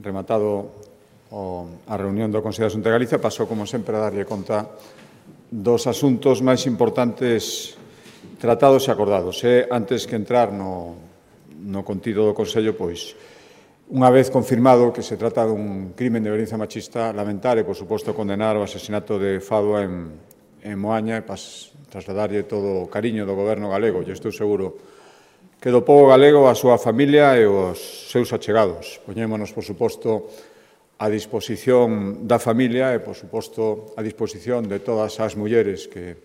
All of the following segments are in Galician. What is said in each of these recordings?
rematado a reunión do Consello de Xunta de Galicia, pasou, como sempre, a darlle conta dos asuntos máis importantes tratados e acordados. E, antes que entrar no contido do Consello, pois, unha vez confirmado que se trata dun crimen de violencia machista, lamentar e, por suposto, condenar o asesinato de Fadua en Moaña e trasladarlle todo o cariño do Goberno galego. Eu estou seguro que do pobo galego, a súa familia e os seus achegados. Poñémonos, por suposto, a disposición da familia e, por suposto, a disposición de todas as mulleres que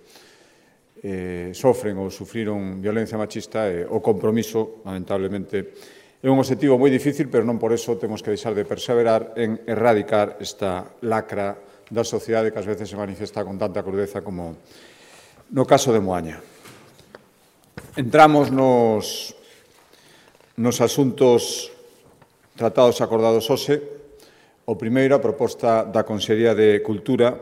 sofren ou sufriron violencia machista e o compromiso, lamentablemente, é un objetivo moi difícil, pero non por eso temos que deixar de perseverar en erradicar esta lacra da sociedade que ás veces se manifiesta con tanta crudeza como no caso de Moaña. Entramos nos asuntos tratados e acordados hoxe. O primeiro, a proposta da Consellería de Cultura,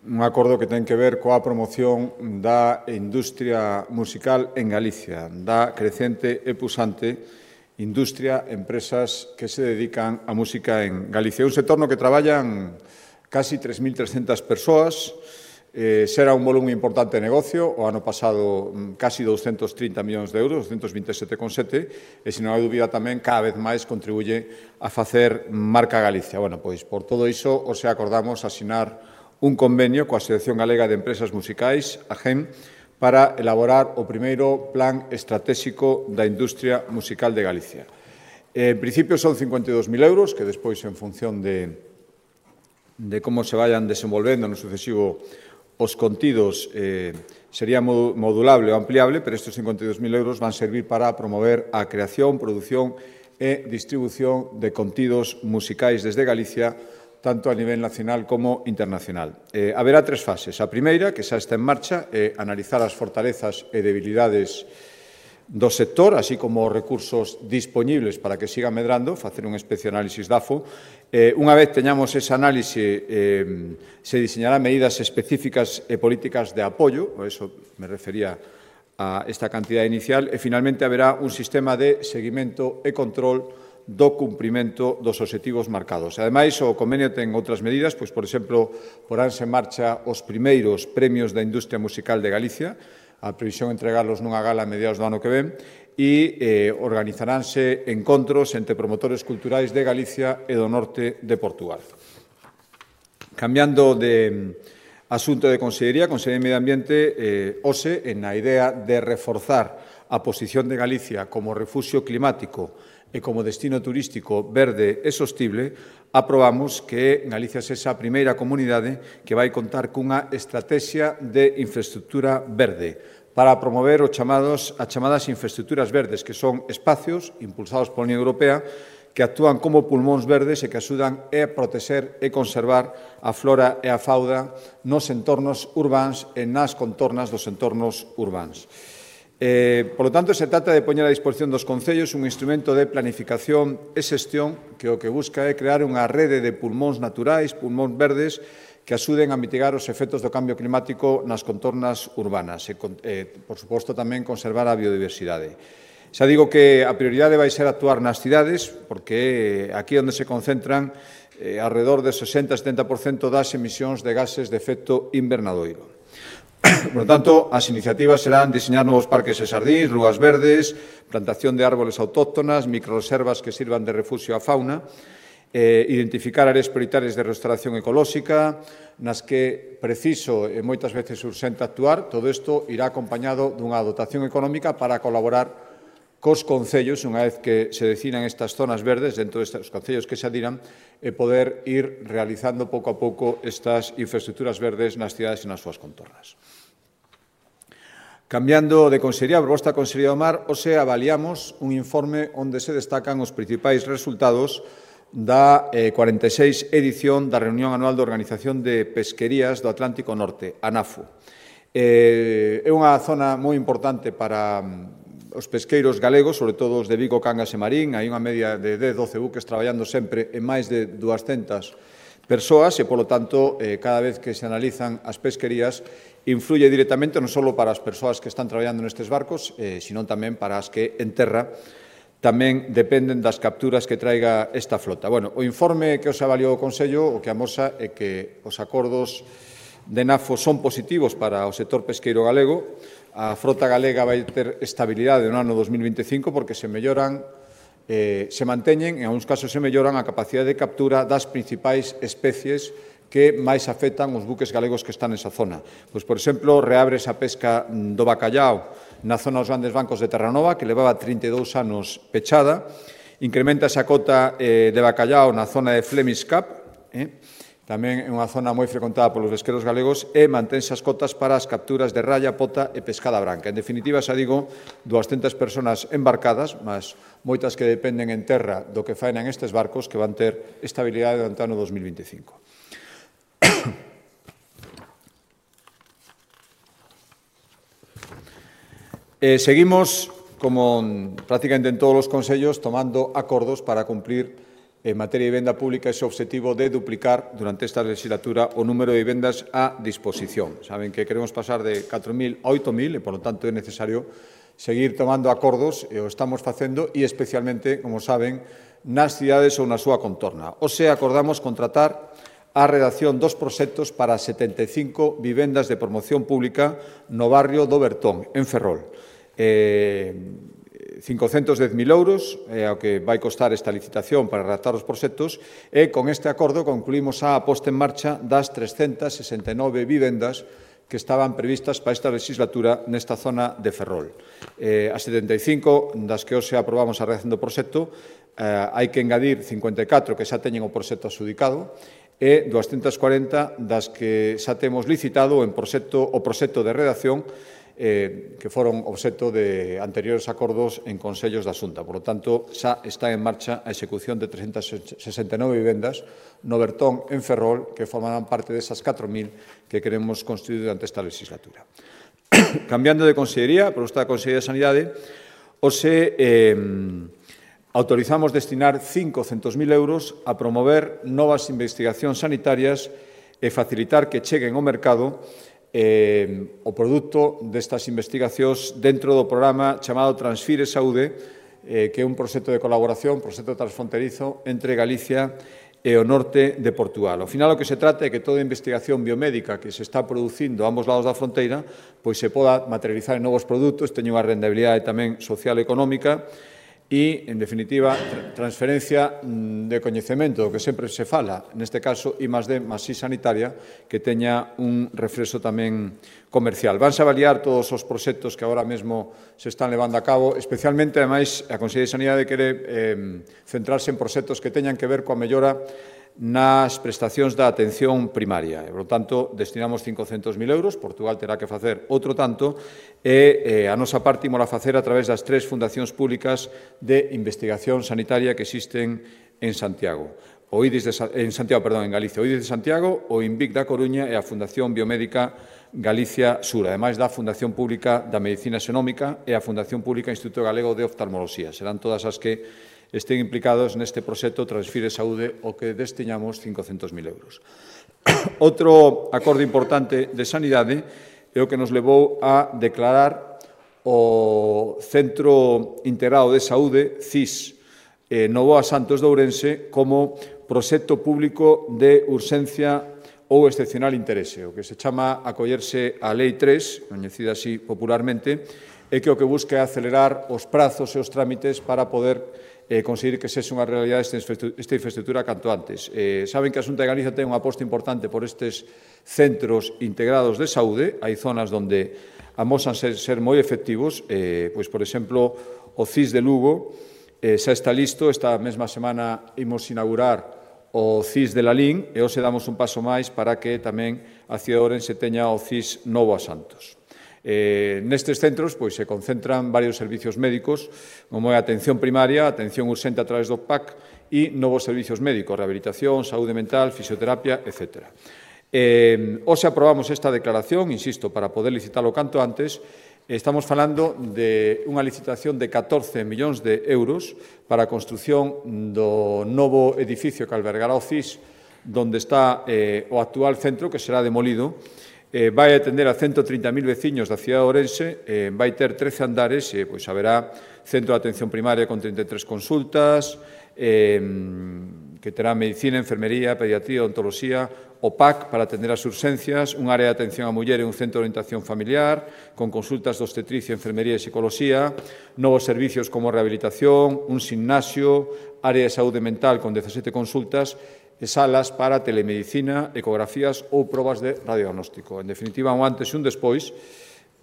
un acordo que ten que ver coa promoción da industria musical en Galicia, da crecente e pusante industria, empresas que se dedican á música en Galicia. É un sector no que traballan casi 3.300 persoas, será un volumen importante de negocio, o ano pasado casi 230 millóns de euros, 227,7, e, se non hai dúbida, tamén cada vez máis contribuye a facer marca Galicia. Bueno, pois, por todo iso, hoxe acordamos asinar un convenio coa Asociación Galega de Empresas Musicais, AGEM, para elaborar o primeiro plan estratégico da industria musical de Galicia. En principio son 52.000 euros, que despois, en función de como se vayan desenvolvendo no sucesivo os contidos, sería modulable ou ampliable, pero estes 52.000 euros van servir para promover a creación, produción e distribución de contidos musicais desde Galicia, tanto a nivel nacional como internacional. Haberá tres fases. A primeira, que xa está en marcha, é analizar as fortalezas e debilidades do sector, así como os recursos disponibles para que siga medrando, facer un especie de análisis DAFO. Unha vez teñamos ese análise, se diseñarán medidas específicas e políticas de apoio, a eso me refería a esta cantidad inicial, e finalmente haberá un sistema de seguimento e control do cumprimento dos obxectivos marcados. Ademais, o convenio ten outras medidas, pois, por exemplo, poránse en marcha os primeiros premios da industria musical de Galicia, a previsión entregarlos nunha gala a mediados do ano que ven, e organizaránse encontros entre promotores culturais de Galicia e do norte de Portugal. Cambiando de asunto de Consellería, Consellería de Medio Ambiente, hoxe, en a idea de reforzar a posición de Galicia como refuxio climático e como destino turístico verde e sostible, aprobamos que Galicia sexa a primeira comunidade que vai contar cunha estrategia de infraestructura verde para promover as chamadas infraestructuras verdes, que son espacios impulsados pola Unión Europea que actúan como pulmóns verdes e que axudan a protexer e conservar a flora e a fauna nos entornos urbáns e nas contornas dos entornos urbáns. Por lo tanto, se trata de poñer a disposición dos concellos un instrumento de planificación e xestión que o que busca é crear unha rede de pulmóns naturais, pulmóns verdes, que axuden a mitigar os efectos do cambio climático nas contornas urbanas e, por suposto, tamén conservar a biodiversidade. Xa digo que a prioridade vai ser actuar nas cidades, porque aquí onde se concentran alrededor de 60-70% das emisións de gases de efecto invernadoiro. Por lo tanto, as iniciativas serán diseñar novos parques e xardíns, rúas verdes, plantación de árboles autóctonas, microreservas que sirvan de refuxio á fauna, identificar áreas prioritarias de restauración ecolóxica, nas que preciso e moitas veces urxente actuar. Todo isto irá acompañado dunha dotación económica para colaborar cos concellos, unha vez que se decinan estas zonas verdes dentro destes concellos que se adiran, e poder ir realizando pouco a pouco estas infraestructuras verdes nas cidades e nas súas contornas. Cambiando de Consellería, a proposta da Consellería do Mar, hoxe avaliamos un informe onde se destacan os principais resultados da 46 edición da Reunión Anual de Organización de Pesquerías do Atlántico Norte, ANAFO. É unha zona moi importante para os pesqueiros galegos, sobre todo os de Vigo, Cangas e Marín. Hai unha media de 10-12 buques traballando sempre en máis de 200 persoas e, polo tanto, cada vez que se analizan as pesquerías, influye directamente non só para as persoas que están traballando nestes barcos, sino tamén para as que en terra tamén dependen das capturas que traiga esta flota. Bueno, o informe que os avaliou o Consello o que amosa é que os acordos de NAFO son positivos para o sector pesqueiro galego. A frota galega vai ter estabilidade no ano 2025 porque se manteñen, en algúns casos se melloran a capacidade de captura das principais especies que máis afectan os buques galegos que están nesa zona. Pois, por exemplo, reabre esa pesca do bacallao na zona dos grandes bancos de Terranova, que levaba 32 anos pechada, incrementa esa cota de bacallao na zona de Flemish Cap, tamén é unha zona moi frecuentada polos pesqueros galegos, e mantense as cotas para as capturas de raya, pota e pescada branca. En definitiva, xa digo, 200 persoas embarcadas, mas moitas que dependen en terra do que faenan estes barcos, que van ter estabilidade durante o ano 2025. Seguimos, como prácticamente en todos os consellos, tomando acordos para cumplir en materia de vivenda pública ese objetivo de duplicar durante esta legislatura o número de vivendas a disposición. Saben que queremos pasar de 4.000 a 8.000 e, por lo tanto, é necesario seguir tomando acordos, e o estamos facendo, e especialmente, como saben, nas cidades ou na súa contorna. Hoxe acordamos contratar a redacción dos proxectos para 75 vivendas de promoción pública no barrio do Bertón, en Ferrol. 510.000 euros é o que vai costar esta licitación para redactar os proxectos, e con este acordo concluímos a posta en marcha das 369 vivendas que estaban previstas para esta legislatura nesta zona de Ferrol. As 75 das que hoxe aprobamos a redacción do proxecto, hai que engadir 54 que xa teñen o proxecto adxudicado, e 240 das que xa temos licitado o proxecto de redacción, que foron obxecto de anteriores acordos en consellos da Xunta. Por lo tanto, xa está en marcha a execución de 369 vivendas no Bertón, en Ferrol, que formarán parte desas 4.000 que queremos construir durante esta legislatura. Cambiando de consellería, por esta Consellería de Sanidade, hoxe autorizamos destinar 500.000 euros a promover novas investigacións sanitarias e facilitar que cheguen ao mercado o produto destas investigacións dentro do programa chamado Transfire Saúde, que é un proxecto de colaboración, un proxecto transfronterizo entre Galicia e o norte de Portugal. Ao final, o que se trata é que toda a investigación biomédica que se está producindo a ambos lados da fronteira pois se poda materializar en novos produtos, teña unha rendabilidade tamén social e económica, e, en definitiva, transferencia de coñecemento, que sempre se fala, neste caso, I+D+I sanitaria, que teña un reflexo tamén comercial. Vanse avaliar todos os proxectos que agora mesmo se están levando a cabo, especialmente, ademais, a Consellería de Sanidade quere centrarse en proxectos que teñan que ver coa mellora nas prestacións da atención primaria. Por lo tanto, destinamos 500.000 euros, Portugal terá que facer outro tanto, e a nosa parte imos a facer a través das 3 fundacións públicas de investigación sanitaria que existen en Santiago. En Galicia, o IDIS de Santiago, o INVIC da Coruña e a Fundación Biomédica Galicia Sur, ademais da Fundación Pública da Medicina Xenómica e a Fundación Pública Instituto Galego de Oftalmoloxía. Serán todas as que estén implicados neste proxecto Transfire Saúde, o que destinamos 500.000 euros. Outro acordo importante de sanidade é o que nos levou a declarar o Centro Integrado de Saúde, CIS, Novoa Santos de Ourense, como proxecto público de urxencia ou excepcional interese, o que se chama acollerse a Lei 3, coñecida así popularmente, e que o que busca é acelerar os prazos e os trámites para poder conseguir que sexa unha realidade esta infraestructura canto antes. Saben que a Xunta de Galicia ten unha aposta importante por estes centros integrados de saúde. Hai zonas onde amosan ser moi efectivos, pois, por exemplo, o CIS de Lugo xa está listo. Esta mesma semana imos inaugurar o CIS de Lalín e hoxe damos un paso máis para que tamén a cidade de Ourense teña o CIS Novoa Santos. Nestes centros se concentran varios servicios médicos, como é a atención primaria, a atención urxente a través do PAC e novos servicios médicos, rehabilitación, saúde mental, fisioterapia, etc. Hoxe aprobamos esta declaración, insisto, para poder licitalo canto antes. Estamos falando de unha licitación de 14 millóns de euros para a construción do novo edificio que albergará o CIS, onde está o actual centro, que será demolido. vai atender a 130.000 veciños da cidade de Ourense, vai ter 13 andares e pois haberá centro de atención primaria con 33 consultas, que terá medicina, enfermería, pediatría, odontoloxía, o PAC para atender as urxencias, un área de atención á muller e un centro de orientación familiar, con consultas de obstetricia, enfermería e psicoloxía, novos servicios como rehabilitación, un gimnasio, área de saúde mental con 17 consultas, e salas para telemedicina, ecografías ou probas de radiodiagnóstico. En definitiva, un antes e un despois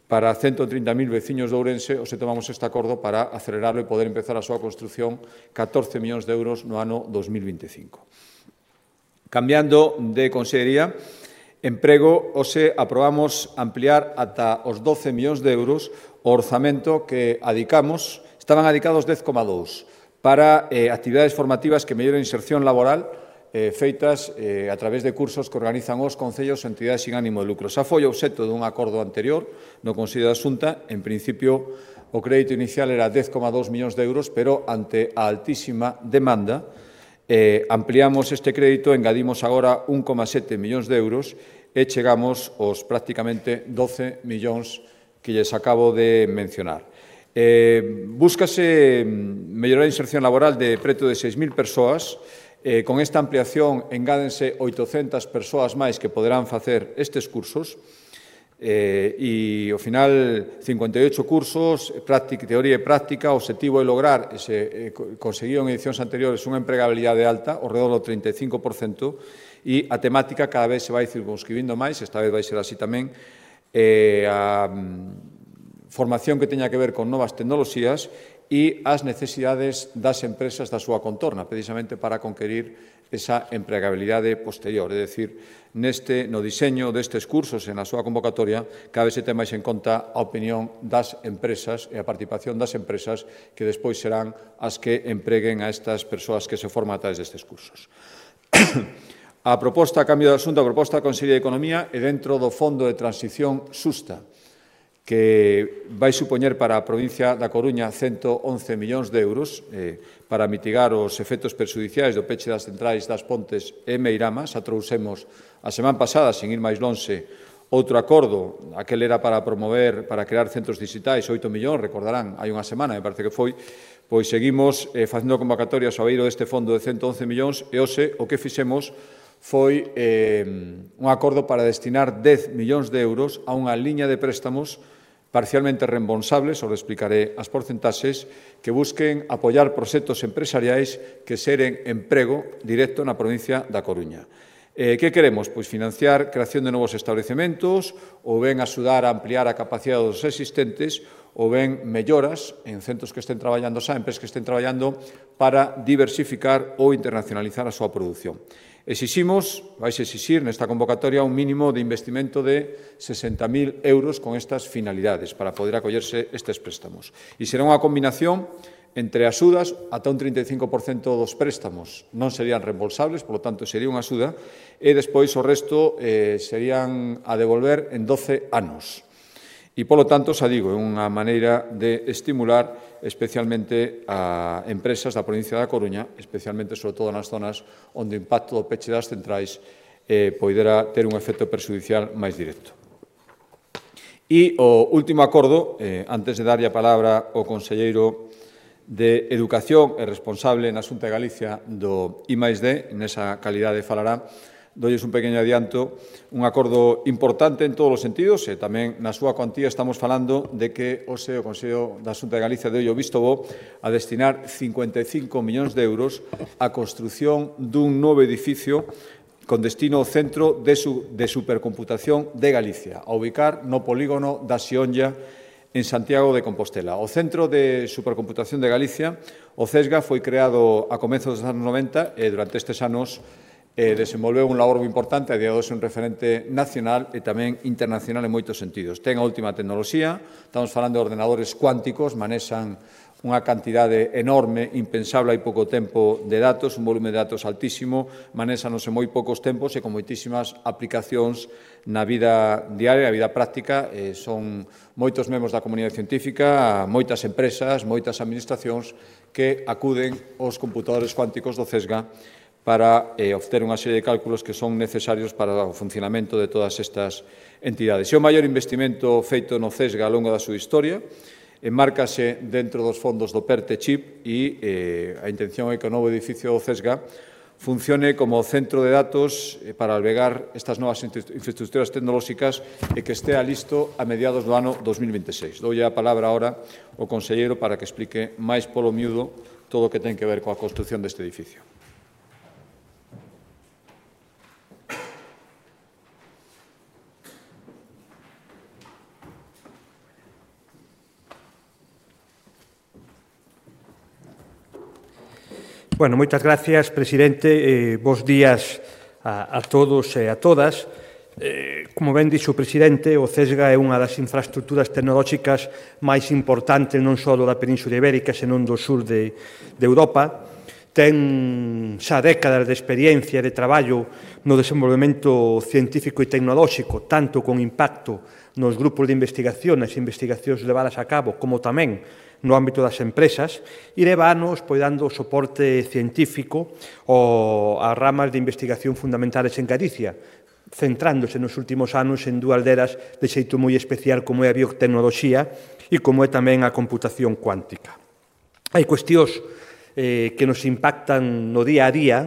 para 130.000 veciños de Ourense, se tomamos este acordo para acelerarlo e poder empezar a súa construción 14 millóns de euros no ano 2025. Cambiando de consellería, emprego, hoxe aprobamos ampliar ata os 12 millóns de euros o orzamento que adicamos, estaban adicados 10,2 para actividades formativas que melloren a inserción laboral feitas a través de cursos que organizan os concellos e entidades sin ánimo de lucro. Xa foi obxecto dun acordo anterior no Consello da Xunta. En principio, o crédito inicial era 10,2 millóns de euros, pero ante a altísima demanda, ampliamos este crédito, engadimos agora 1,7 millóns de euros e chegamos aos prácticamente 12 millóns que lles acabo de mencionar. Búscase mellorar a inserción laboral de preto de 6.000 persoas. Con esta ampliación engádense 800 persoas máis que poderán facer estes cursos e, ao final, 58 cursos, teoría e práctica. O obxectivo é lograr, e se conseguiu en edicións anteriores, unha empregabilidade alta, ao redor do 35%, e a temática cada vez se vai circunscribindo máis, esta vez vai ser así tamén, a formación que teña que ver con novas tecnoloxías e as necesidades das empresas da súa contorna, precisamente para conquerir esa empregabilidade posterior. É dicir, no diseño destes cursos e na súa convocatoria, cada vez se ten máis en conta a opinión das empresas e a participación das empresas que despois serán as que empreguen a estas persoas que se forman a través destes cursos. A proposta, a cambio de asunto, a proposta da Consellería de Economía é dentro do Fondo de Transición Xusta, que vai supoñer para a provincia da Coruña 111 millóns de euros para mitigar os efectos perxudiciais do peche das centrais das Pontes e Meiramas. A trouxemos a semana pasada, sin ir máis lonxe, outro acordo, aquel era para promover, para crear centros digitais, 8 millóns, recordarán, hai unha semana, me parece que foi, pois seguimos facendo convocatorias ao eiro deste fondo de 111 millóns e hoxe o que fixemos foi un acordo para destinar 10 millóns de euros a unha liña de préstamos parcialmente reembolsables, os explicaré as porcentaxes, que busquen apoiar proxectos empresariais que xeren emprego directo na provincia da Coruña. Que queremos? Pois financiar creación de novos establecementos, ou ben axudar a ampliar a capacidade dos existentes, ou ben melloras en centros que estén traballando xa, empresas que estén traballando para diversificar ou internacionalizar a súa produción. Exiximos, vais exixir nesta convocatoria un mínimo de investimento de 60.000 euros con estas finalidades para poder acollerse estes préstamos. E será unha combinación entre axudas, ata un 35% dos préstamos non serían reembolsables, polo tanto, sería unha axuda, e despois o resto serían a devolver en 12 anos. E, polo tanto, xa digo, é unha maneira de estimular especialmente a empresas da provincia da Coruña, especialmente, sobre todo, nas zonas onde o impacto do peche das centrais poderá ter un efecto perxudicial máis directo. E o último acordo, antes de darlle a palabra ao conselleiro de Educación e responsable na Xunta de Galicia do I+D, nesa calidade falará, doulles un pequeno adianto, un acordo importante en todos os sentidos e tamén na súa cuantía estamos falando de que o Consello da Xunta de Galicia deu o visto bo a destinar 55 millóns de euros á construción dun novo edificio con destino ao Centro de Supercomputación de Galicia, a ubicar no polígono da Xionlla en Santiago de Compostela. O Centro de Supercomputación de Galicia, o CESGA, foi creado a comezos dos anos 90 e durante estes anos desenvolveu un labor moi importante, a día de hoxe un referente nacional e tamén internacional en moitos sentidos. Ten a última tecnoloxía, estamos falando de ordenadores cuánticos, manexan unha cantidade enorme, impensable hai pouco tempo de datos, un volume de datos altísimo, manexanos en moi poucos tempos e con moitísimas aplicacións na vida diaria, na vida práctica. Son moitos membros da comunidade científica, moitas empresas, moitas administracións que acuden aos computadores cuánticos do CESGA para obter unha serie de cálculos que son necesarios para o funcionamento de todas estas entidades. É o maior investimento feito no CESGA ao longo da súa historia, enmárcase dentro dos fondos do PERTE-CHIP e a intención é que o novo edificio do CESGA funcione como centro de datos para albergar estas novas infraestructuras tecnolóxicas e que estea listo a mediados do ano 2026. Doulle a palabra ahora ao conselleiro para que explique máis polo miúdo todo o que ten que ver coa construción deste edificio. Bueno, moitas gracias, presidente. Bos días a todos e a todas. Como ben dixo o presidente, o CESGA é unha das infraestructuras tecnolóxicas máis importantes non só da Península Ibérica, senón do sur de Europa. Ten xa décadas de experiencia e de traballo no desenvolvemento científico e tecnolóxico, tanto con impacto nos grupos de investigación, nas investigacións levadas a cabo, como tamén no ámbito das empresas, e leva anos dando soporte científico ás ramas de investigación fundamentales en Galicia, centrándose nos últimos anos en dúas delas de xeito moi especial como é a biotecnoloxía e como é tamén a computación cuántica. Hai cuestións que nos impactan no día a día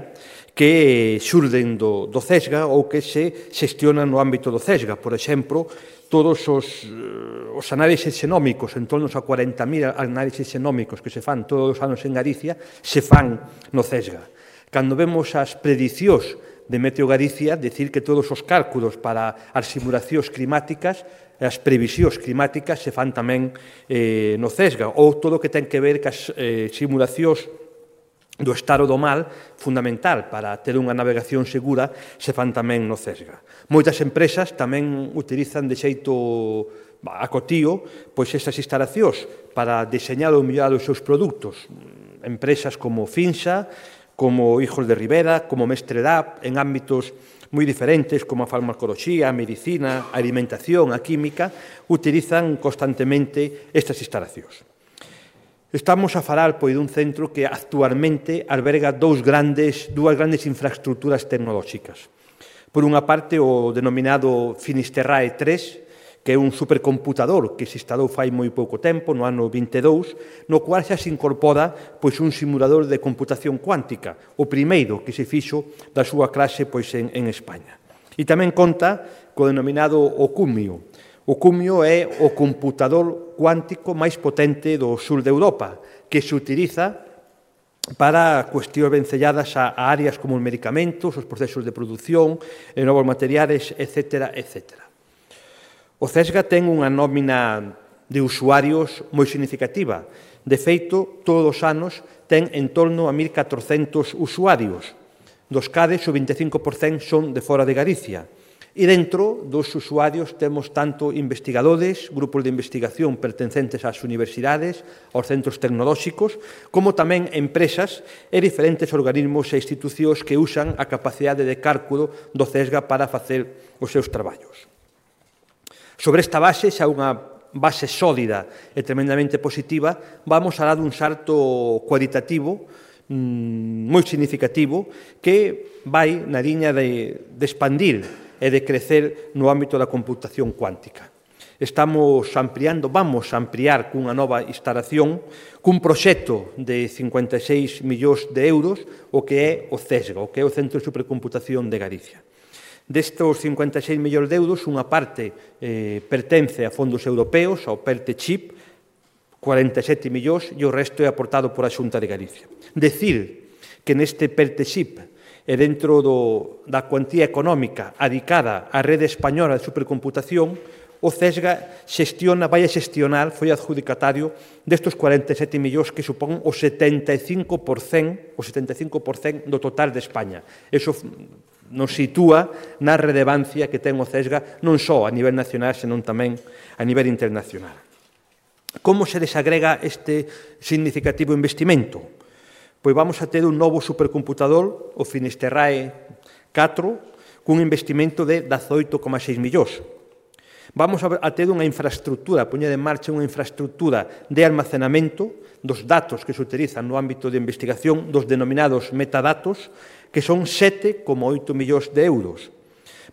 que xurden do CESGA ou que se xestionan no ámbito do CESGA. Por exemplo, todos os análises xenómicos, en torno a 40.000 análises xenómicos que se fan todos os anos en Galicia, se fan no CESGA. Cando vemos as predicións de Meteo Galicia, decir que todos os cálculos para as simulacións climáticas, as previsións climáticas se fan tamén no CESGA, ou todo o que ten que ver cas simulacións do estado do mal, fundamental para ter unha navegación segura, se fan tamén no CESGA. Moitas empresas tamén utilizan de xeito acotío estas instalacións para deseñar ou mellorar os seus produtos. Empresas como Finsa, como Hijos de Rivera, como Mestre Lab, en ámbitos moi diferentes como a farmacoloxía, a medicina, a alimentación, a química, utilizan constantemente estas instalacións. Estamos a falar dun centro que actualmente alberga dúas grandes infraestructuras tecnolóxicas. Por unha parte, o denominado Finisterrae 3, que é un supercomputador que se instalou fai moi pouco tempo, no ano 22, no cual xa se incorpora un simulador de computación cuántica, o primeiro que se fixo da súa clase en España. E tamén conta co denominado Ocumio. O Cumio é o computador cuántico máis potente do sur de Europa, que se utiliza para cuestións vencelladas a áreas como os medicamentos, os procesos de produción, novos materiales, etc. O CESGA ten unha nómina de usuarios moi significativa. De feito, todos os anos ten en torno a 1.400 usuarios, dos cales o 25% son de fora de Galicia. E dentro dos usuarios temos tanto investigadores, grupos de investigación pertencentes ás universidades, aos centros tecnolóxicos, como tamén empresas e diferentes organismos e institucións que usan a capacidade de cálculo do CESGA para facer os seus traballos. Sobre esta base, xa unha base sólida e tremendamente positiva, vamos a dar un salto cualitativo moi significativo que vai na liña de expandir e de crecer no ámbito da computación cuántica. Vamos a ampliar cunha nova instalación, cun proxecto de 56 millóns de euros, o que é o CESGA, o que é o Centro de Supercomputación de Galicia. Destos 56 millóns de euros, unha parte pertence a fondos europeos, ao PERTE-CHIP, 47 millóns, e o resto é aportado por a Xunta de Galicia. Decir que neste PERTE-CHIP e dentro da cuantía económica adicada á rede española de supercomputación, o CESGA vai a xestionar, foi adjudicatario destos 47 millóns que supón o 75% do total de España. Eso nos sitúa na relevancia que ten o CESGA non só a nivel nacional, senón tamén a nivel internacional. Como se desagrega este significativo investimento? Pois vamos a ter un novo supercomputador, o Finisterrae 4, cun investimento de 18,6 millóns. Vamos a ter unha infraestructura, poñer en marcha unha infraestructura de almacenamento dos datos que se utilizan no ámbito de investigación, dos denominados metadatos, que son 7,8 millóns de euros.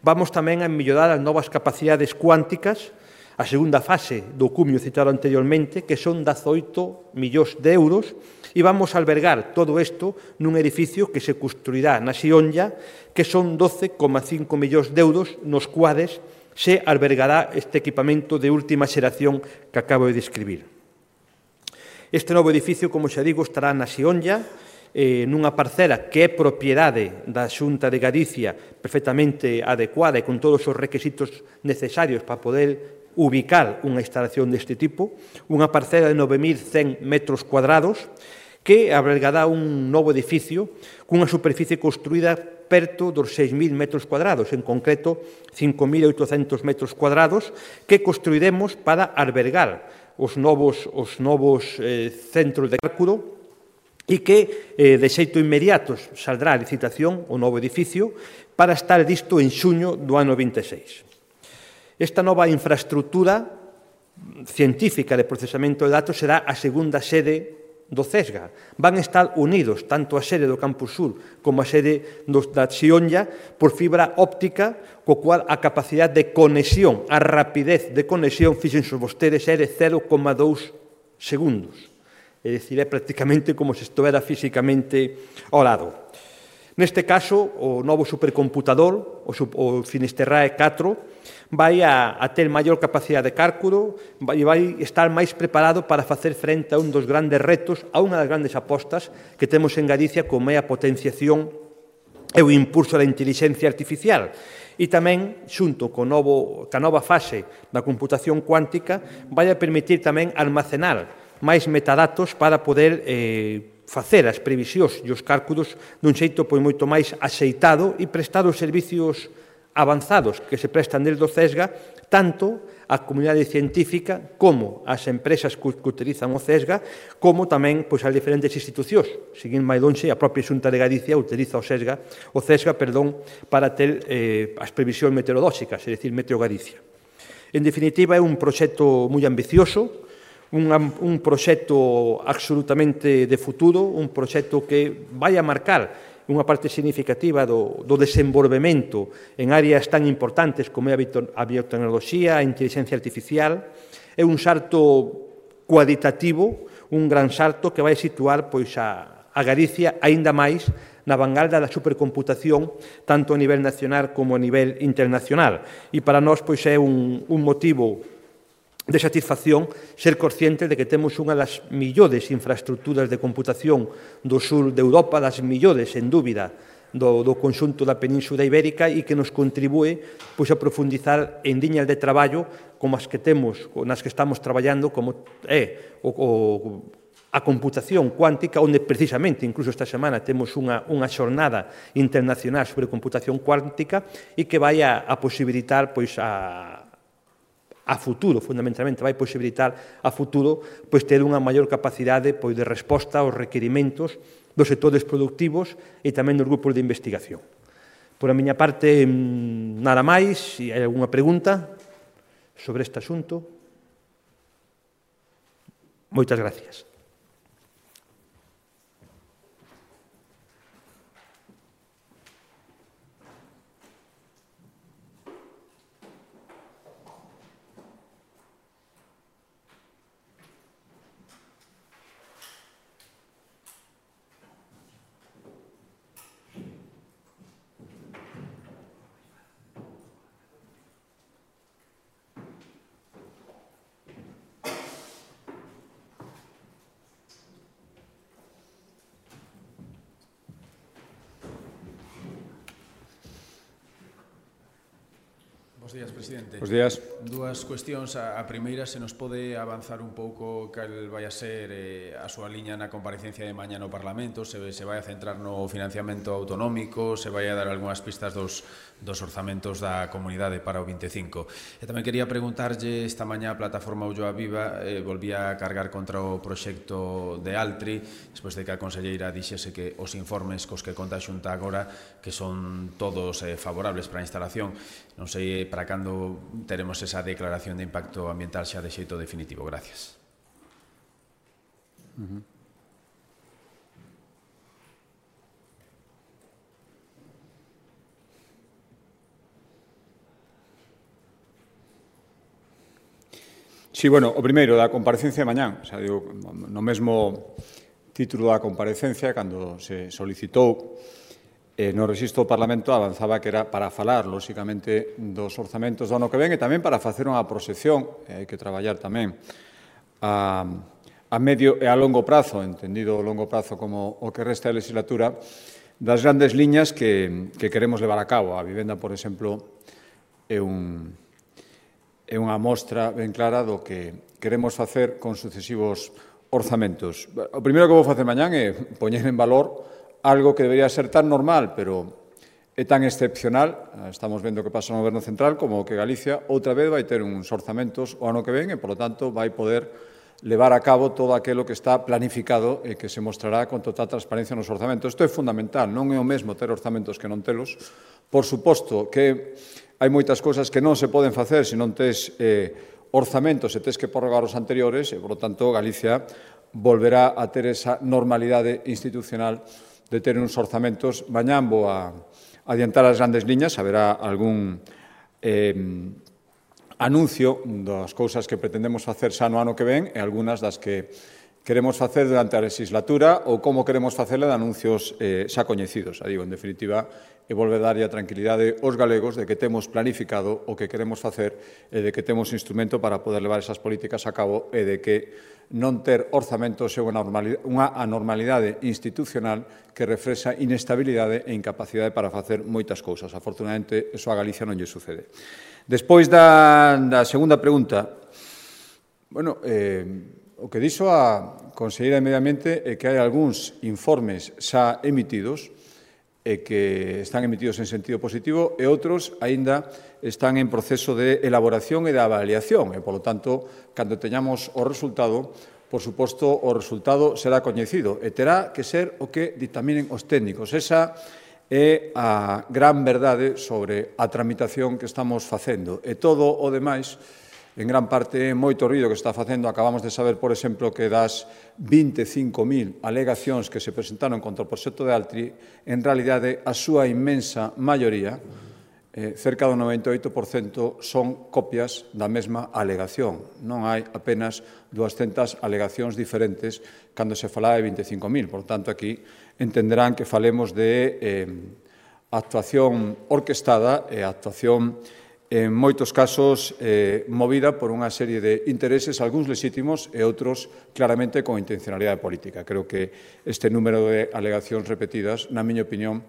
Vamos tamén a mellorar as novas capacidades cuánticas, a segunda fase do cumio citado anteriormente, que son 18 millóns de euros, e vamos a albergar todo isto nun edificio que se construirá na Xionlla, que son 12,5 millóns de euros, nos cuales se albergará este equipamento de última xeración que acabo de describir. Este novo edificio, como xa digo, estará na Xionlla, nunha parcela que é propiedade da Xunta de Galicia perfectamente adecuada e con todos os requisitos necesarios para poder ubicar unha instalación deste tipo, unha parcela de 9.100 metros cuadrados, que albergará un novo edificio cunha superficie construída perto dos 6.000 metros cuadrados, en concreto 5.800 metros cuadrados, que construiremos para albergar os novos centros de cálculo e que, de xeito inmediato, saldrá a licitación o novo edificio para estar listo en xuño do ano 26. Esta nova infraestructura científica de procesamento de datos será a segunda sede do CESGA. Van estar unidos tanto a sede do Campus Sur como a sede da Xionlla por fibra óptica, co cual a capacidade de conexión, a rapidez de conexión, fíxense vostedes, é de 0,2 segundos. É dicir, é prácticamente como se estivera físicamente ao lado. Neste caso, o novo supercomputador, o Finisterrae 4, vai a ter maior capacidade de cálculo e vai estar máis preparado para facer frente a un dos grandes retos, a unha das grandes apostas que temos en Galicia, como é a potenciación e o impulso da inteligencia artificial. E tamén, xunto ca nova fase da computación cuántica, vai a permitir tamén almacenar máis metadatos para poder facer as previsións e os cálculos dun xeito moito máis axeitado e prestar os servicios avanzados que se prestan desde o CESGA tanto á comunidade científica como ás empresas que utilizan o CESGA, como tamén as diferentes institucións. Seguindo máis lonxe, a propia Xunta de Galicia utiliza o CESGA para ter as previsións meteorolóxicas, é dicir, Meteo Galicia. En definitiva, é un proxecto moi ambicioso, un proxecto absolutamente de futuro, un proxecto que vai a marcar unha parte significativa do desenvolvemento en áreas tan importantes como é a biotecnoloxía, a inteligencia artificial. É un salto cualitativo, un gran salto que vai situar a Galicia aínda máis na vanguarda da supercomputación, tanto a nivel nacional como a nivel internacional. E para nós é un motivo de satisfacción ser conscientes de que temos unha das millores infraestructuras de computación do sur de Europa, das millores, en dúbida, do conxunto da Península Ibérica e que nos contribúe a profundizar en liñas de traballo como as que temos, nas que estamos traballando, como é a computación cuántica, onde precisamente, incluso esta semana, temos unha xornada internacional sobre computación cuántica e que vai a posibilitar a futuro, fundamentalmente, vai posibilitar a futuro ter unha maior capacidade de resposta aos requerimentos dos sectores productivos e tamén dos grupos de investigación. Por a miña parte, nada máis. Se hai algunha pregunta sobre este asunto. Moitas gracias. Bos días, presidente. Bos días. Dúas cuestións. A primeira, se nos pode avanzar un pouco cal vai a ser a súa liña na comparecencia de mañá no Parlamento, se vai a centrar no financiamento autonómico, se vai a dar algunhas pistas dos orzamentos da comunidade para o 25. E tamén quería preguntarlle, esta mañá a plataforma Ulloa Viva volvía a cargar contra o proxecto de Altri, despois de que a conselleira dixese que os informes cos que conta a Xunta agora que son todos favorables para a instalación. Non sei para cando teremos esa declaración de impacto ambiental xa de xeito definitivo. Gracias. Sí, bueno, o primeiro, da comparecencia de mañán. O sea, digo, no mesmo título da comparecencia, cando se solicitou no rexistro do Parlamento, avanzaba que era para falar, lóxicamente, dos orzamentos do ano que ven e tamén para facer unha proxección, hai que traballar tamén a medio e a longo prazo, entendido o longo prazo como o que resta da legislatura, das grandes liñas que queremos levar a cabo. A vivenda, por exemplo, é unha mostra ben clara do que queremos facer con sucesivos orzamentos. O primeiro que vou facer mañán é poñer en valor algo que debería ser tan normal, pero é tan excepcional, estamos vendo que pasa no Goberno Central, como que Galicia outra vez vai ter uns orzamentos o ano que ven e, polo tanto, vai poder levar a cabo todo aquilo que está planificado e que se mostrará con total transparencia nos orzamentos. Isto é fundamental, non é o mesmo ter orzamentos que non telos. Por suposto que hai moitas cousas que non se poden facer se non tes orzamentos e tes que prorrogar os anteriores e, por lo tanto, Galicia volverá a ter esa normalidade institucional de ter uns orzamentos. Mañán vou a adiantar as grandes liñas, haberá algún anuncio das cousas que pretendemos facer xa no ano que ven e algunhas das que queremos facer durante a legislatura ou como queremos facela de anuncios xa coñecidos. En definitiva, e volver a darlle a tranquilidade aos galegos de que temos planificado o que queremos facer e de que temos instrumento para poder levar esas políticas a cabo e de que non ter orzamentos é unha anormalidade institucional que reflexa inestabilidade e incapacidade para facer moitas cousas. Afortunadamente, iso a Galicia non lle sucede. Despois da segunda pregunta, bueno, o que dixo a conselleira de Medio Ambiente é que hai algúns informes xa emitidos e que están emitidos en sentido positivo e outros aínda están en proceso de elaboración e de avaliación e, polo tanto, cando teñamos o resultado, por suposto, o resultado será coñecido e terá que ser o que dictaminen os técnicos. Esa é a gran verdade sobre a tramitación que estamos facendo e todo o demais, en gran parte, moito ruído que está facendo. Acabamos de saber, por exemplo, que das 25.000 alegacións que se presentaron contra o proxecto de Altri, en realidade, a súa inmensa maioría, cerca do 98%, son copias da mesma alegación. Non hai apenas 200 alegacións diferentes cando se fala de 25.000. Por tanto, aquí entenderán que falemos de actuación orquestada e actuación en moitos casos movida por unha serie de intereses, algúns lexítimos e outros claramente con intencionalidade política. Creo que este número de alegacións repetidas, na miña opinión,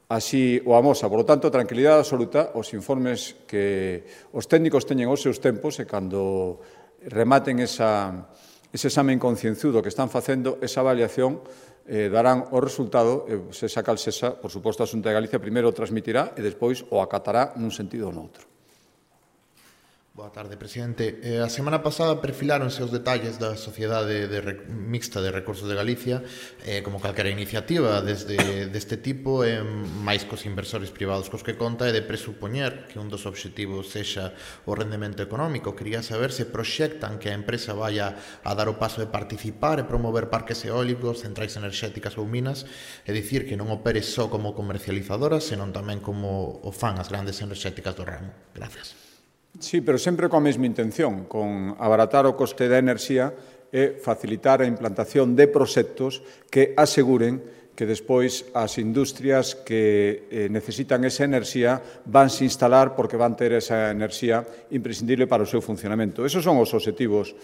así o amosa. Por lo tanto, tranquilidade absoluta, os informes que os técnicos teñen aos seus tempos e cando rematen ese examen concienzudo que están facendo, esa avaliación, darán o resultado, se saca al SESA, por suposto, a Xunta de Galicia primeiro o transmitirá e despois o acatará nun sentido ou noutro. Boa tarde, presidente. A semana pasada perfiláronse os detalles da Sociedade Mixta de Recursos de Galicia como calquera iniciativa deste tipo, máis cos inversores privados cos que conta, e de presupoñer que un dos obxectivos sexa o rendemento económico. Quería saber se proxectan que a empresa vaya a dar o paso de participar e promover parques eólicos, centrais enerxéticas ou minas, e dicir que non opere só como comercializadora, senón tamén como o fan as grandes enerxéticas do ramo. Gracias. Sí, pero sempre coa mesma intención, con abaratar o coste da enerxía e facilitar a implantación de proxectos que aseguren que despois as industrias que necesitan esa enerxía vanse instalar porque van ter esa enerxía imprescindible para o seu funcionamento. Esos son os obxectivos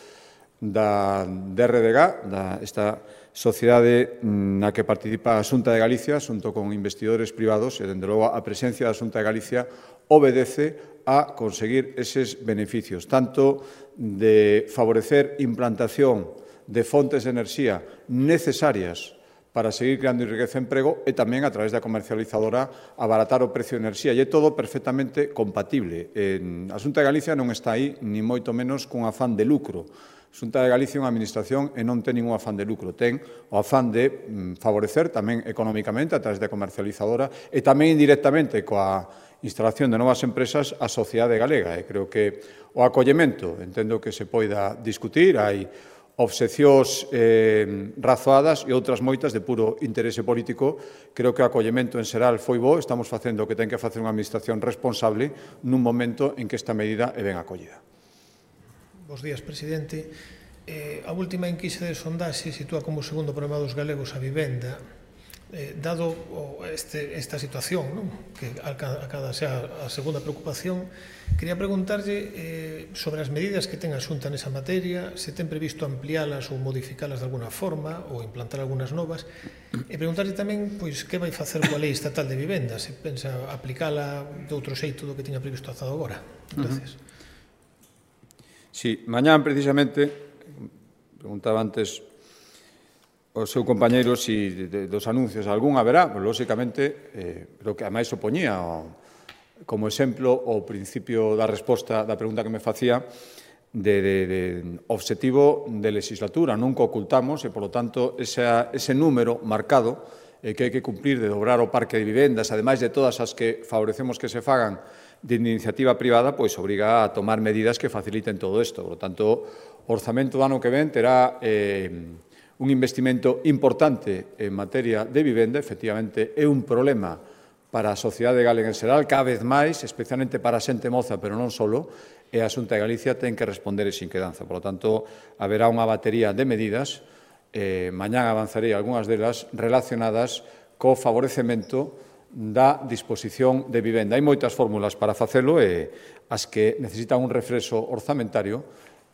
da RDG, esta sociedade na que participa a Xunta de Galicia, xunto con investidores privados, e, dende logo, a presencia da Xunta de Galicia obedece a conseguir eses beneficios, tanto de favorecer implantación de fontes de enerxía necesarias para seguir creando riqueza e emprego e tamén a través da comercializadora abaratar o precio de enerxía. E é todo perfectamente compatible. A Xunta de Galicia non está aí, ni moito menos, cun afán de lucro. A Xunta de Galicia é unha administración e non ten ningún afán de lucro. Ten o afán de favorecer tamén económicamente a través da comercializadora e tamén indirectamente coa instalación de novas empresas a sociedade galega. E creo que o acollemento, entendo que se poida discutir, hai obxeccións razoadas e outras moitas de puro interese político. Creo que o acollemento en xeral foi bo, estamos facendo o que ten que facer unha administración responsable nun momento en que esta medida é ben acollida. Bos días, presidente. A última enquisa de sondaxe sitúa como segundo problema dos galegos a vivenda. Dado esta situación, non? Que acada xa a segunda preocupación, quería preguntarlle sobre as medidas que ten a Xunta nesa materia, se ten previsto ampliálas ou modificalas de alguna forma ou implantar algunhas novas, e preguntarlle tamén pois, que vai facer coa Lei Estatal de Vivenda, se pensa aplicala de outro xeito do que tiña previsto hasta agora. Gracias. Sí, mañán precisamente, preguntaba antes o seu compañeiro si dos anuncios algún haberá, pues, lóxicamente, pero que ademais o poñía como exemplo o principio da resposta da pregunta que me facía de obxectivo de legislatura, nunca ocultamos e, polo tanto, ese número marcado que hai que cumplir de dobrar o parque de vivendas, ademais de todas as que favorecemos que se fagan de iniciativa privada, pois obriga a tomar medidas que faciliten todo isto. Por lo tanto, o orzamento do ano que ven terá un investimento importante en materia de vivenda. Efectivamente, é un problema para a sociedade galega en xeral, cada vez máis, especialmente para a xente moza, pero non só, e a Xunta de Galicia ten que responder sin quedanza. Por lo tanto, haberá unha batería de medidas, mañán avanzarei algunhas delas, relacionadas co favorecemento da disposición de vivenda. Hai moitas fórmulas para facelo e as que necesitan un refrexo orzamentario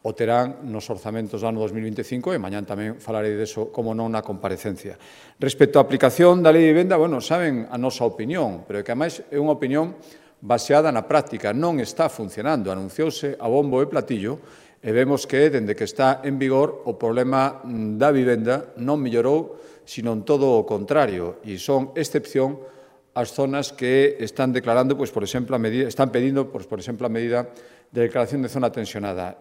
o terán nos orzamentos do ano 2025 e mañán tamén falarei deso, como non, na comparecencia. Respecto á aplicación da Lei de Vivenda, bueno, saben a nosa opinión, pero que ademais é unha opinión baseada na práctica. Non está funcionando, anunciouse a bombo e platillo e vemos que, dende que está en vigor, o problema da vivenda non mellorou, sino en todo o contrario, e son excepción as zonas que están declarando, pois, por exemplo, están pedindo, pois, por exemplo, a medida de declaración de zona tensionada.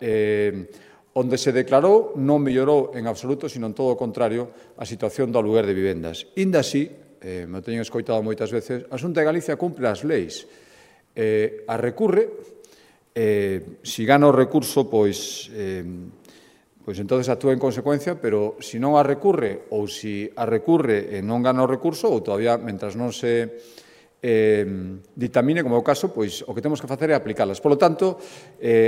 Onde se declarou non mellorou en absoluto, sino en todo o contrario, a situación do aluguer de vivendas. Inda así, me teño escoitado moitas veces, a Xunta de Galicia cumpre as leis, a recurre, si gana o recurso, pois entonces actúa en consecuencia, pero se non a recurre ou se a recurre e non gana o recurso, ou todavía, mentras non se ditamine, como é o caso, pois o que temos que facer é aplicalas. Por lo tanto,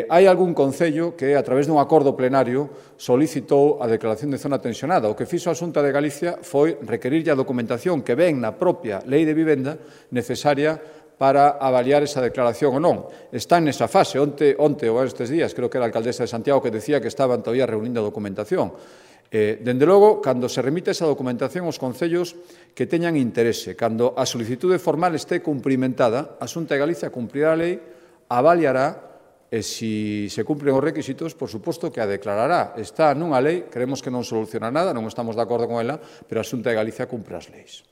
hai algún concello que, a través dun acordo plenario, solicitou a declaración de zona tensionada. O que fixo a Xunta de Galicia foi requerirlle a documentación que ven na propia Lei de Vivenda necesaria para avaliar esa declaración ou non. Está nesa fase. Onte ou estes días, creo que era a alcaldesa de Santiago que decía que estaban todavía reunindo a documentación. Dende logo, cando se remite esa documentación aos concellos que teñan interese, cando a solicitude formal este cumprimentada, a Xunta de Galicia cumprirá a lei, avaliará e, se se cumpren os requisitos, por suposto que a declarará. Está nunha lei, creemos que non soluciona nada, non estamos de acordo con ela, pero a Xunta de Galicia cumpre as leis.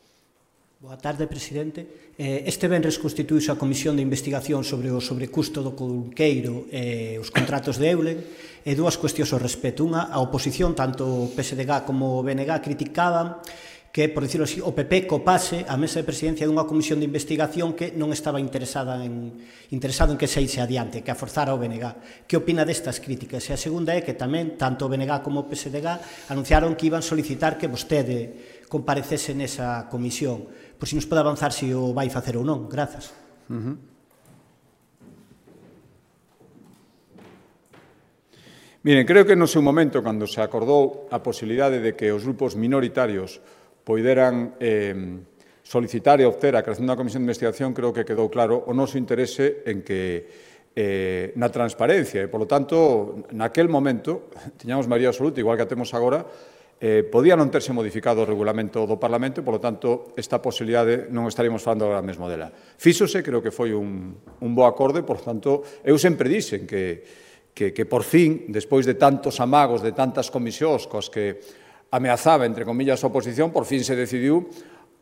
Boa tarde, presidente. Este venres constituíse a Comisión de Investigación sobre o sobrecusto do Cunqueiro e os contratos de Eulen, e dúas cuestións ao respecto. Unha, a oposición, tanto o PSDG como o BNG, criticaban que, por dicirlo así, o PP copase a mesa de presidencia dunha comisión de investigación que non estaba interesado en que se ixe adiante, que a forzara o BNG. Que opina destas críticas? E a segunda é que tamén, tanto o BNG como o PSDG anunciaron que iban solicitar que vostede comparecese nesa comisión. Por si nos pode avanzar se o vai facer ou non. Grazas. Miren, creo que no seu momento, cando se acordou a posibilidade de que os grupos minoritarios poideran solicitar e obter a creación da Comisión de Investigación, creo que quedou claro o noso interese en que na transparencia, e, polo tanto, naquel momento, tiñamos maioría absoluta, igual que a temos agora, podía non terse modificado o regulamento do Parlamento, e, polo tanto, esta posibilidade non estaríamos falando agora mesmo dela. Fíxose, creo que foi un bo acorde, por tanto, eu sempre dixen que por fin, despois de tantos amagos, de tantas comisións coas que ameazaba, entre comillas, a oposición, por fin se decidiu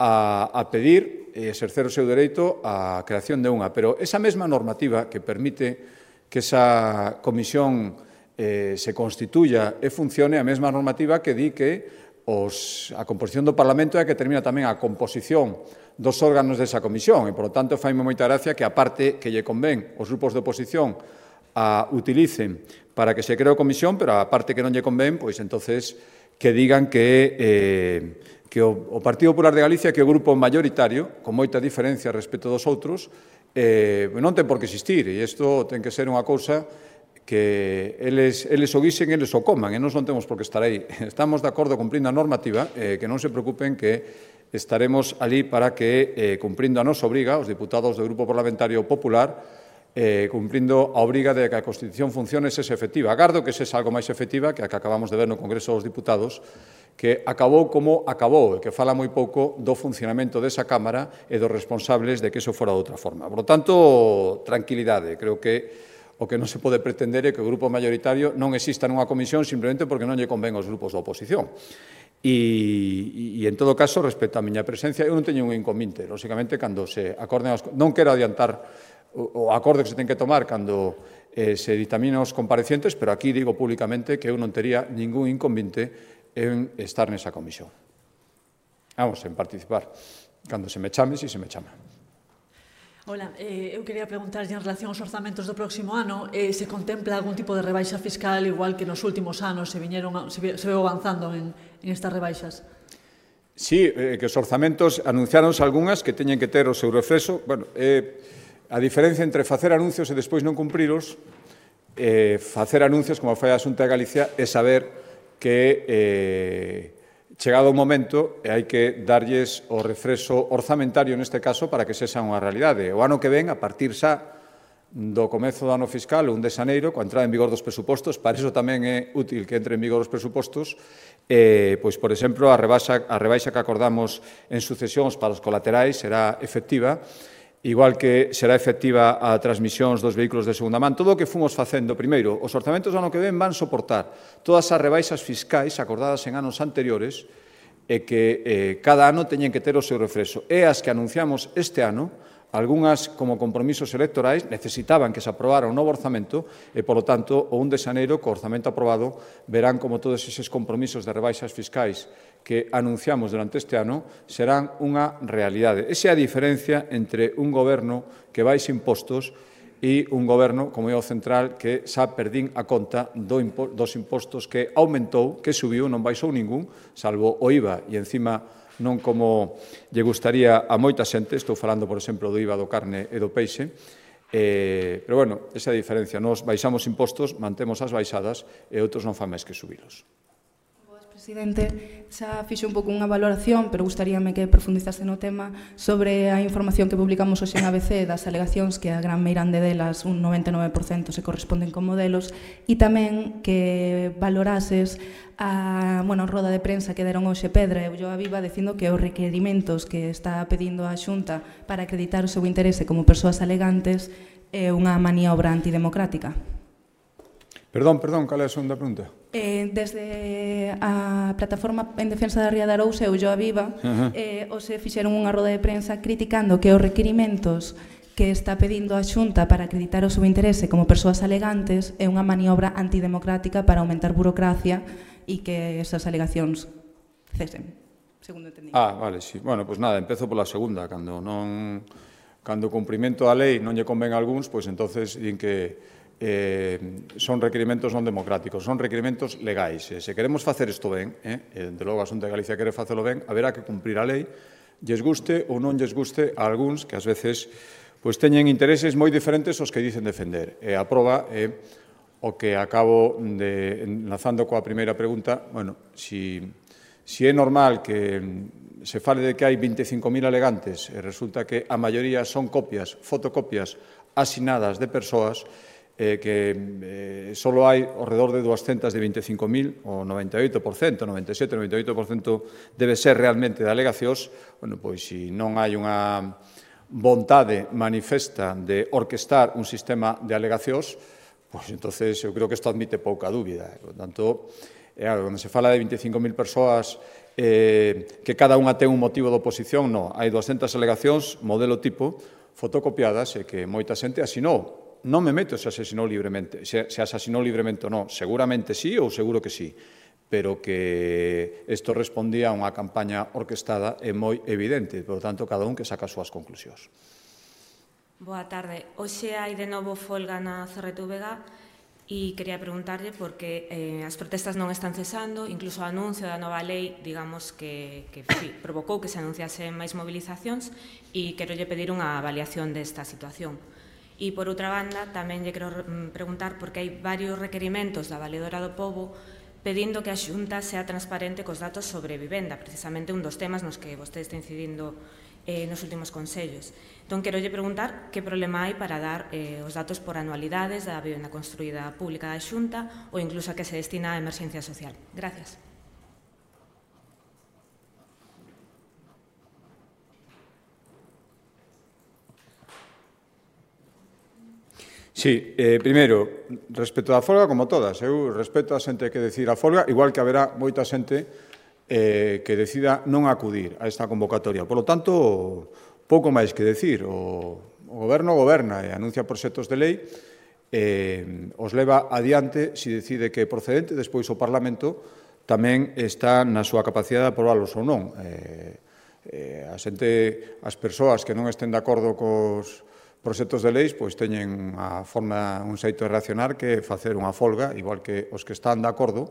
a pedir e exercer o seu dereito á creación de unha. Pero esa mesma normativa que permite que esa comisión se constituya e funcione, a mesma normativa que di que a composición do Parlamento é a que termina tamén a composición dos órganos desa comisión. E, por lo tanto, faime moita gracia que, a parte que lle convén os grupos de oposición a utilicen para que se cree a comisión, pero a parte que non lle convén, pois entonces que digan que o Partido Popular de Galicia, que é o grupo maioritario, con moita diferencia respecto dos outros, non ten por que existir, e isto ten que ser unha cousa que eles o guisen, eles o coman, e nós non temos por que estar aí. Estamos de acordo cumprindo a normativa, que non se preocupen que estaremos ali para que, cumprindo a nosa obriga, os diputados do Grupo Parlamentario Popular, cumprindo a obriga de que a Constitución funcione e sexa efectiva. Agardo que sexa algo máis efectiva que a que acabamos de ver no Congreso dos Diputados, que acabou como acabou, e que fala moi pouco do funcionamento desa Cámara e dos responsables de que iso fora de outra forma. Por lo tanto, tranquilidade. Creo que o que non se pode pretender é que o grupo mayoritario non exista nunha comisión simplemente porque non lle convén aos grupos da oposición. E en todo caso, respecto á miña presencia, eu non teño un inconvinte. Lóxicamente, cando se acorden non quero adiantar o acordo que se ten que tomar cando se ditaminan os comparecientes, pero aquí digo públicamente que eu non tería ningún inconvinte en estar nesa comisión. Vamos, en participar, cando se me chame, se me chama. Hola, eu quería preguntarlle en relación aos orzamentos do próximo ano, se contempla algún tipo de rebaixa fiscal igual que nos últimos anos se veu avanzando en estas rebaixas? Sí, que os orzamentos anunciáronse algunhas que teñen que ter o seu reflexo. Bueno, a diferencia entre facer anuncios e despois non cumprilos, facer anuncios, como fai a Xunta de Galicia, é saber que chegado o momento hai que darlles o refrexo orzamentario neste caso para que sexa unha realidade. O ano que ven, a partir xa do comezo do ano fiscal, o 1 de xaneiro, coa entrada en vigor dos presupostos, para iso tamén é útil que entre en vigor os presupostos, pois, por exemplo, a rebaixa que acordamos en sucesións para os colaterais será efectiva, igual que será efectiva a transmisións dos vehículos de segunda man. Todo o que fomos facendo, primeiro, os orzamentos do ano que ven van soportar todas as rebaixas fiscais acordadas en anos anteriores e que cada ano teñen que ter o seu reflexo. E as que anunciamos este ano, algunhas como compromisos electorais necesitaban que se aprobara un novo orzamento e, polo tanto, o 1 de xaneiro, co orzamento aprobado, verán como todos eses compromisos de rebaixas fiscais que anunciamos durante este ano serán unha realidade. Esa é a diferencia entre un goberno que baixe impostos e un goberno, como é o central, que xa perdín a conta dos impostos que aumentou, que subiu, non baixou ningún, salvo o IVA e encima non como lle gustaría a moita xente, estou falando, por exemplo, do IVA do carne e do peixe, pero, bueno, esa é a diferencia. Nos baixamos impostos, mantemos as baixadas e outros non fan máis que subilos. Presidente, xa fixe un pouco unha valoración, pero gustaríame que profundizase no tema sobre a información que publicamos hoxe en ABC das alegacións que a gran meirande delas, un 99%, se corresponden con modelos, e tamén que valorases a roda de prensa que deron hoxe Pedra e Ulloa Viva dicindo que os requerimentos que está pedindo a Xunta para acreditar o seu interese como persoas alegantes é unha maniobra antidemocrática. Perdón, cal é a segunda pregunta? Desde a plataforma en defensa da Ría de Arousa e Ulloa Viva hoxe fixeron unha roda de prensa criticando que os requerimentos que está pedindo a Xunta para acreditar o seu interese como persoas alegantes é unha maniobra antidemocrática para aumentar burocracia e que esas alegacións cesen, segundo entendí. Vale, sí. Bueno, pois nada, empezo pola segunda. Cando o cumprimento da lei non lle convén a algúns, pois entonces din que son requerimentos non democráticos, son requerimentos legais. Se queremos facer isto ben, de logo a Xunta de Galicia quere facelo ben, haberá que cumprir a lei, lles guste ou non lles guste a algúns que ás veces teñen intereses moi diferentes aos que dicen defender. A proba é o que acabo enlazando coa primeira pregunta. Bueno, si é normal que se fale de que hai 25.000 alegantes e resulta que a maioría son copias, fotocopias asinadas de persoas, que só hai ao redor de 200 de 25.000, o 98%, 97, 98% debe ser realmente de alegacións. Bueno, pois, se non hai unha vontade manifesta de orquestar un sistema de alegacións, pois, entonces, eu creo que isto admite pouca dúbida. Por tanto, cando se fala de 25.000 persoas que cada unha ten un motivo de oposición, non. Hai 200 alegacións, modelo tipo, fotocopiadas, e que moita xente asinou. Non me meto se asasinou libremente, se asasinou libremente ou non, seguramente sí ou seguro que sí, pero que isto respondía a unha campaña orquestada é moi evidente, por tanto, cada un que saca as súas conclusións. Boa tarde. Hoxe hai de novo folga na CRTVG e quería preguntarlle porque as protestas non están cesando, incluso o anuncio da nova lei, digamos, que provocou que se anunciasen máis movilizacións e quero lle pedir unha avaliación desta situación. E, por outra banda, tamén lle quero preguntar porque hai varios requerimentos da Valedora do Pobo pedindo que a Xunta sea transparente cos datos sobre vivenda, precisamente un dos temas nos que vostede está incidindo nos últimos consellos. Entón, quero lle preguntar que problema hai para dar os datos por anualidades da vivenda construída pública da Xunta ou incluso a que se destina a emerxencia social. Gracias. Sí, primeiro, respecto da folga, como todas, eu respeto a xente que decida a folga, igual que haberá moita xente que decida non acudir a esta convocatoria. Por lo tanto, pouco máis que decir. O Goberno goberna e anuncia proxectos de lei, os leva adiante, se decide que é procedente, despois o Parlamento tamén está na súa capacidade de aprobalos ou non. As persoas que non estén de acordo cos proxectos de leis, pois teñen un xeito de reaccionar que é facer unha folga, igual que os que están de acordo,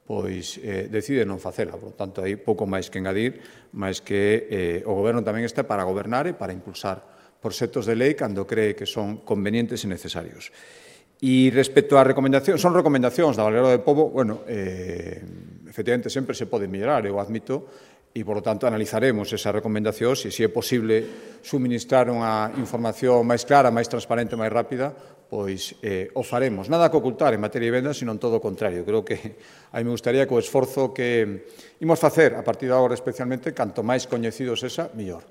pois deciden non facela. Por tanto, hai pouco máis que engadir, máis que o Goberno tamén está para gobernar e para impulsar proxectos de lei cando cree que son convenientes e necesarios. E respecto ás recomendacións, son recomendacións da Valedora do Pobo, bueno, efectivamente sempre se pode mellorar, eu admito, e, por lo tanto, analizaremos esas recomendacións e, se é posible, suministrar unha información máis clara, máis transparente, máis rápida, pois o faremos. Nada que ocultar en materia de venda, sino en todo o contrario. Creo que a mí me gustaría que o esforzo que imos facer a partir de agora especialmente, canto máis coñecidos esa, mellor.